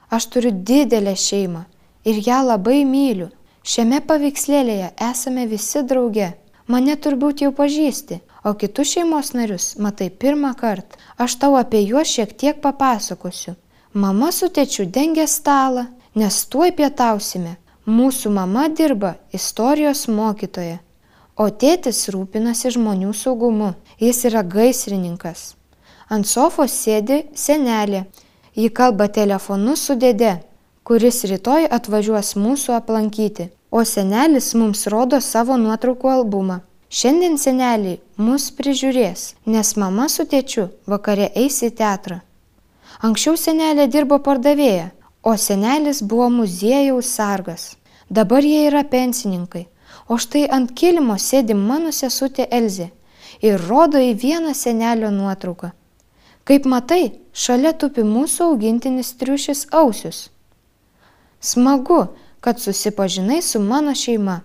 Aš turiu didelę šeimą ir ją labai myliu. Šiame paveikslėlėje esame visi drauge. Mane turbūt jau pažįsti, o kitus šeimos narius matai pirmą kartą. Aš tau apie juos šiek tiek papasakosiu. Mama su tėčiu dengia stalą, nes tuoj pietausime. Mūsų mama dirba istorijos mokytoja, o tėtis rūpinasi žmonių saugumu. Jis yra gaisrininkas. Ant sofos sėdi senelė. Ji kalba telefonu su dėde, kuris rytoj atvažiuos mūsų aplankyti, o senelis mums rodo savo nuotraukų albumą. Šiandien seneliai mus prižiūrės, nes mama su tėčiu vakare eis į teatrą. Anksčiau senelė dirbo pardavėja, o senelis buvo muziejaus sargas. Dabar jie yra pensininkai, o štai ant kilimo sėdi mano sesutė Elzė ir rodo į vieną senelio nuotrauką. Kaip matai, šalia tupi mūsų augintinis triušis Ausius. Smagu, kad susipažinai su mano šeima.